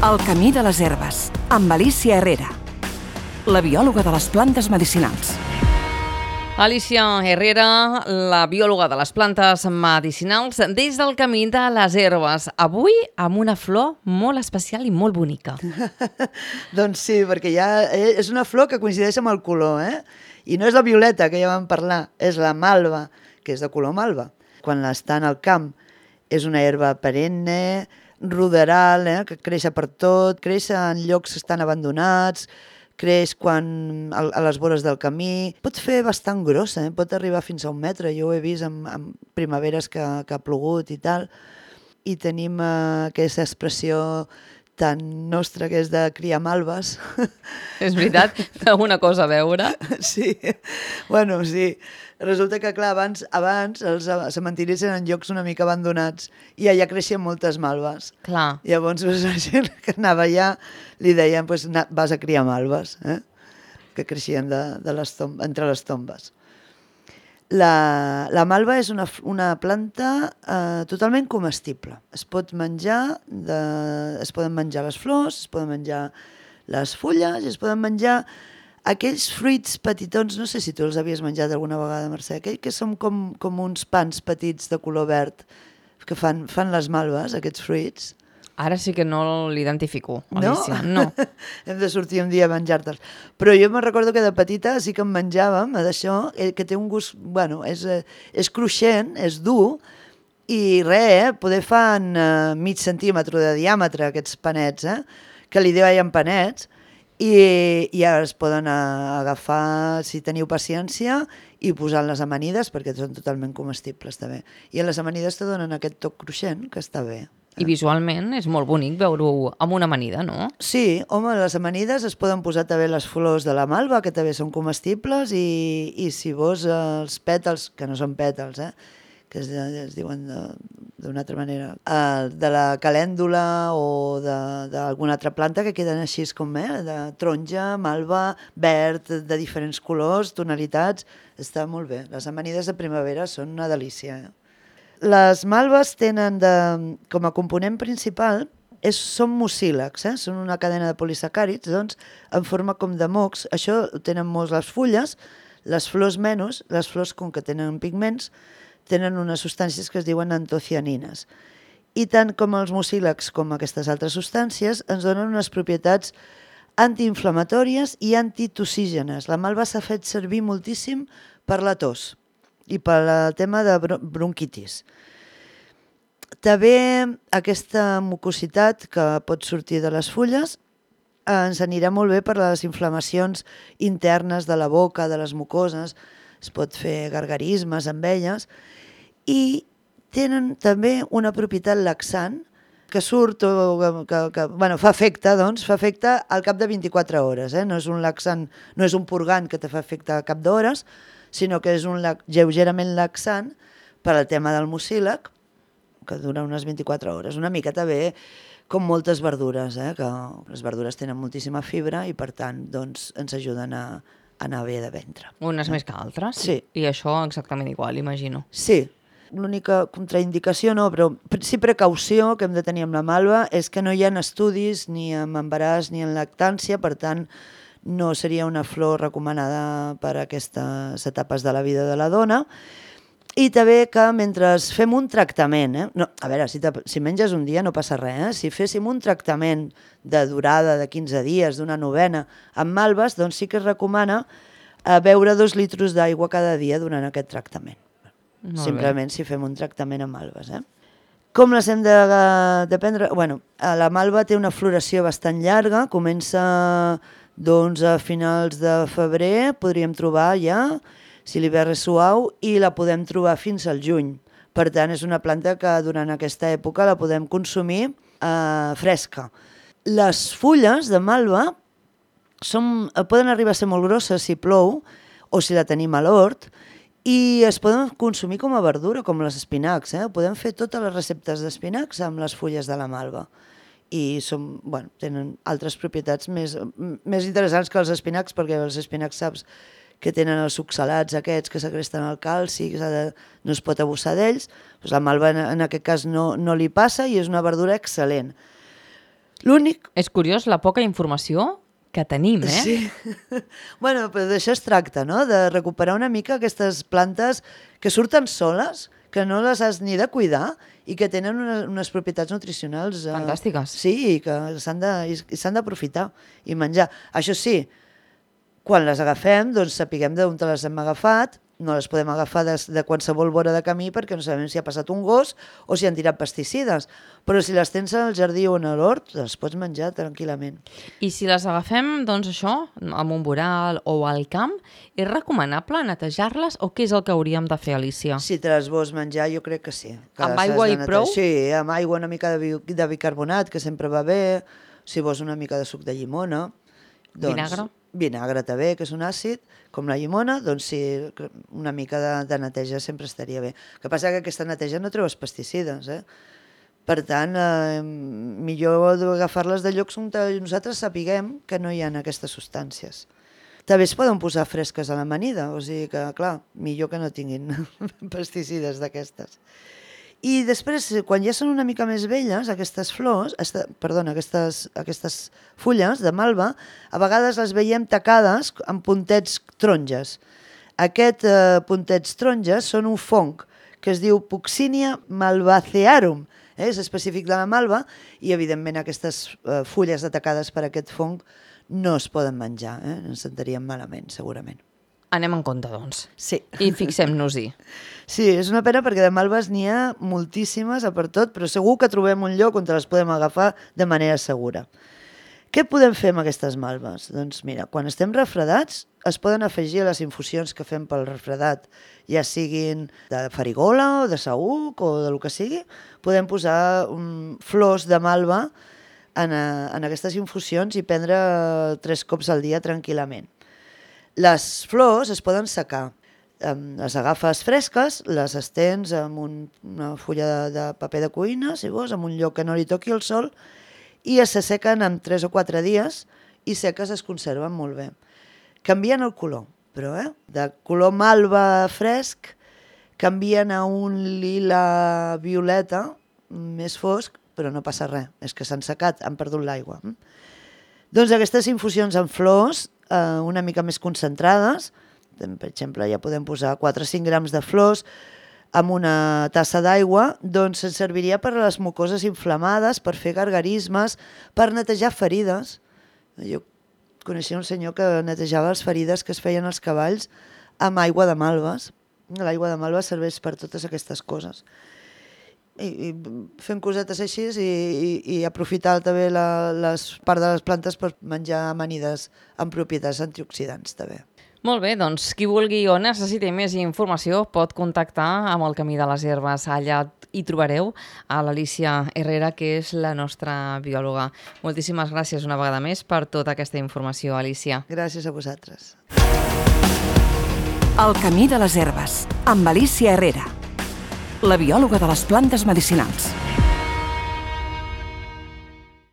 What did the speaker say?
El camí de les herbes, amb Alicia Herrera, la biòloga de les plantes medicinals. Alicia Herrera, la biòloga de les plantes medicinals, des del camí de les herbes. Avui amb una flor molt especial i molt bonica. Doncs sí, perquè ja és una flor que coincideix amb el color, I no és la violeta, que ja vam parlar, és la malva, que és de color malva. Quan està en el camp és una herba perenne, ruderal, que creix per tot, creix en llocs que estan abandonats, creix quan a les vores del camí. Pot fer bastant grossa, pot arribar fins a 1 metre. Jo ho he vist en primaveres que ha plogut i tal. I tenim aquesta expressió tan nostra que és de criar malves. És veritat? Té alguna cosa a veure? Sí, bueno, sí. Resulta que, clar, abans els cementiris eren llocs una mica abandonats i allà creixien moltes malves. Clar. Llavors, la gent que anava allà li deien, pues, vas a criar malves, que creixien entre les tombes. La malva és una planta totalment comestible. Es pot menjar, es poden menjar les flors, es poden menjar les fulles, es poden menjar aquells fruits petitons, no sé si tu els havies menjat alguna vegada, Mercè, aquells que són com uns pans petits de color verd que fan les malves, aquests fruits. Ara sí que no l'identifico, Alicia. No? Hem de sortir un dia a menjar-te'ls. Però jo me'n recordo que de petita sí que en menjàvem d'això, que té un gust, bueno, és cruixent, és dur, i poder fan mig centímetre de diàmetre aquests panets, que li deien panets, i ara es poden agafar, si teniu paciència, i posar en les amanides, perquè són totalment comestibles també. I en les amanides te donen aquest toc cruixent, que està bé. I visualment és molt bonic veure-ho amb una amanida, no? Sí, home, les amanides es poden posar també les flors de la malva, que també són comestibles, i si vols els pètals, que no són pètals, que es diuen d'una altra manera, de la calèndula o d'alguna altra planta que queden així com de taronja, malva, verd, de diferents colors, tonalitats, està molt bé. Les amanides de primavera són una delícia. Les malves tenen com a component principal són mucílags, són una cadena de polisacàrids, doncs, en forma com de mocs. Això ho tenen molts les fulles, les flors menys, les flors com que tenen pigments, tenen unes substàncies que es diuen antocianines. I tant com els mucílags com aquestes altres substàncies ens donen unes propietats antiinflamatòries i antitoxígenes. La malva s'ha fet servir moltíssim per la tos i pel tema de bronquitis. També aquesta mucositat que pot sortir de les fulles ens anirà molt bé per les inflamacions internes de la boca, de les mucoses, es pot fer gargarismes amb elles, i tenen també una propietat laxant que surt, fa efecte al cap de 24 hores. No és un laxant, no és un purgant que te fa efecte al cap d'hores, sinó que és un lleugerament laxant per al tema del mucílag, que dura unes 24 hores. Una mica també com moltes verdures, que les verdures tenen moltíssima fibra i per tant doncs, ens ajuden a anar bé de ventre. Unes més que altres? Sí. I això exactament igual, imagino. Sí. L'única contraindicació, no, però sí precaució que hem de tenir amb la malva és que no hi ha estudis ni en embaràs ni en lactància, per tant no seria una flor recomanada per a aquestes etapes de la vida de la dona. I també que mentre fem un tractament, a veure, si menges un dia no passa res, si féssim un tractament de durada de 15 dies, d'una novena, amb malves, doncs sí que es recomana beure 2 litres d'aigua cada dia durant aquest tractament. Simplement si fem un tractament amb malves. Com les hem de prendre? Bueno, la malva té una floració bastant llarga, comença doncs, a finals de febrer, podríem trobar ja, si l'hivern és suau, i la podem trobar fins al juny. Per tant, és una planta que durant aquesta època la podem consumir fresca. Les fulles de malva poden arribar a ser molt grosses si plou o si la tenim a l'hort, i es poden consumir com a verdura, com les espinacs. Podem fer totes les receptes d'espinacs amb les fulles de la malva. I tenen altres propietats més interessants que els espinacs, perquè els espinacs saps que tenen els oxalats aquests que segresten el calci, no es pot abusar d'ells. La malva en aquest cas no li passa i és una verdura excel·lent. L'únic... És curiós la poca informació que tenim, eh? Sí. Bueno, però d'això es tracta, no? De recuperar una mica aquestes plantes que surten soles, que no les has ni de cuidar i que tenen unes propietats nutricionals... Fantàstiques. Sí, i que s'han d'aprofitar i menjar. Això sí, quan les agafem, doncs sapiguem d'on te les hem agafat, no les podem agafar de qualsevol vora de camí perquè no sabem si ha passat un gos o si han tirat pesticides. Però si les tens al jardí o en l'hort, les pots menjar tranquil·lament. I si les agafem, doncs això, amb un voral o al camp, és recomanable netejar-les o què és el que hauríem de fer, Alicia? Si te les vols menjar, jo crec que sí. Que Amb aigua i prou? Sí, amb aigua, una mica de bicarbonat, que sempre va bé. Si vols una mica de suc de llimona... Doncs, Vinagre? Vinagre també, que és un àcid, com la llimona, doncs sí, una mica de neteja sempre estaria bé. El que passa que aquesta neteja no treu els pesticides, eh? Per tant, millor agafar-les de llocs on nosaltres sapiguem que no hi ha aquestes substàncies. També es poden posar fresques a l'amanida, o sigui que, clar, millor que no tinguin pesticides d'aquestes. I després, quan ja són una mica més velles, aquestes flors, aquestes fulles de malva, a vegades les veiem tacades amb puntets taronges. Aquests puntets taronges són un fong que es diu Puccinia malvacearum, és específic de la malva, i evidentment aquestes fulles atacades per aquest fong no es poden menjar, ens sentaríem malament, segurament. Anem en compte, doncs. Sí. I fixem-nos-hi. Sí, és una pena perquè de malves n'hi ha moltíssimes a per tot, però segur que trobem un lloc on les podem agafar de manera segura. Què podem fer amb aquestes malves? Doncs mira, quan estem refredats es poden afegir a les infusions que fem pel refredat, ja siguin de farigola o de saüc o del que sigui, podem posar flors de malva en aquestes infusions i prendre 3 cops al dia tranquil·lament. Les flors es poden secar. Les agafes fresques, les estens amb una fulla de paper de cuina, si vols, en un lloc que no li toqui el sol, i s'assequen en 3 o 4 dies i seques es conserven molt bé. Canvien el color, però de color malva fresc canvien a un lila violeta més fosc, però no passa res, és que s'han secat, han perdut l'aigua. Doncs aquestes infusions amb flors, una mica més concentrades, per exemple, ja podem posar 4 o 5 grams de flors amb una tassa d'aigua, doncs ens serviria per a les mucoses inflamades, per fer gargarismes, per netejar ferides. Jo coneixia un senyor que netejava les ferides que es feien als cavalls amb aigua de malves. L'aigua de malves serveix per totes aquestes coses. I fent cosetes així i aprofitar també les parts de les plantes per menjar amanides amb propietats antioxidants també. Molt bé, doncs qui vulgui o necessiti més informació pot contactar amb el Camí de les Herbes. Allà hi trobareu a l'Alicia Herrera, que és la nostra biòloga. Moltíssimes gràcies una vegada més per tota aquesta informació, Alicia. Gràcies a vosaltres. El Camí de les Herbes, amb Alicia Herrera, la biòloga de les plantes medicinals.